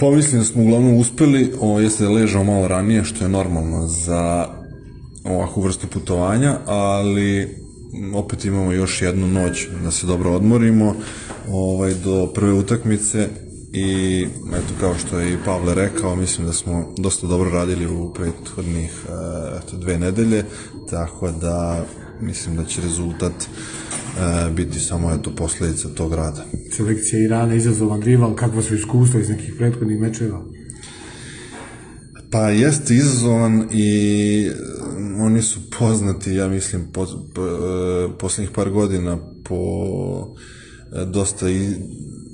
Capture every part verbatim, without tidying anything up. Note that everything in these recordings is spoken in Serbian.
Pa mislim da smo uglavnom uspeli, o, jeste da ležao malo ranije, što je normalno za ovakvu vrstu putovanja, ali opet imamo još jednu noć da se dobro odmorimo ovaj, do prve utakmice i eto, kao što je i Pavle rekao, mislim da smo dosta dobro radili u prethodnih eto, dve nedelje, tako da mislim da će rezultat e, biti samo eto, posljedica tog rada. Selekcija Irana, izazovan rival, kakva su iskustva iz nekih prethodnih mečeva? Pa jeste izazovan i oni su poznati, ja mislim, po, po, posljednjih par godina po dosta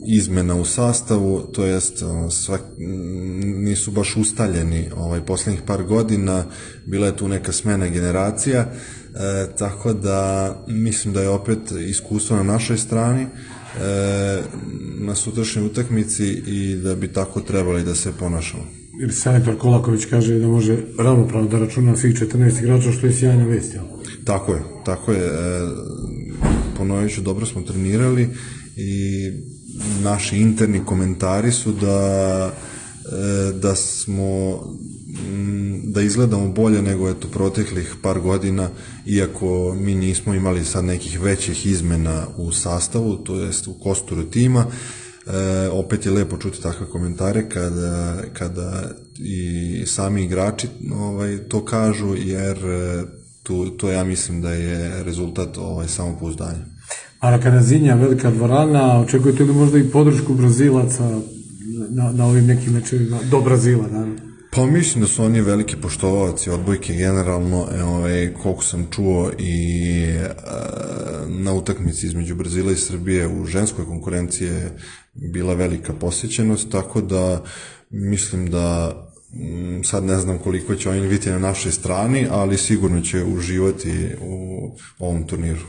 izmena u sastavu, to jest svak, nisu baš ustaljeni ovaj, posljednjih par godina, bila je tu neka smena generacija, e, tako da mislim da je opet iskustvo na našoj strani e, na sutrašnjoj utakmici i da bi tako trebali da se ponašamo. Jer selektor Kolaković kaže da može ravnopravno da računa svih četrnaest igrača, što je sjajna vest, jel? Tako je, tako je. E, ponovit ću, dobro smo trenirali i naši interni komentari su da, e, da smo da izgledamo bolje nego eto proteklih par godina, iako mi nismo imali sad nekih većih izmena u sastavu, to jest u kosturu tima. E, opet je lepo čuti takve komentare kada, kada i sami igrači ovaj, to kažu, jer tu, to ja mislim da je rezultat ovaj, samopouzdanja. Maracanazinha, velika dvorana, očekujete li možda i podršku Brazilaca na, na ovim nekim mečevima, do Brazila, naravno? Pa mislim da su oni veliki poštovaoci odbojke generalno, ovaj, koliko sam čuo i e, na utakmici između Brazila i Srbije u ženskoj konkurenciji je bila velika posjećenost, tako da mislim da m, sad ne znam koliko će oni biti na našoj strani, ali sigurno će uživati u ovom turniru.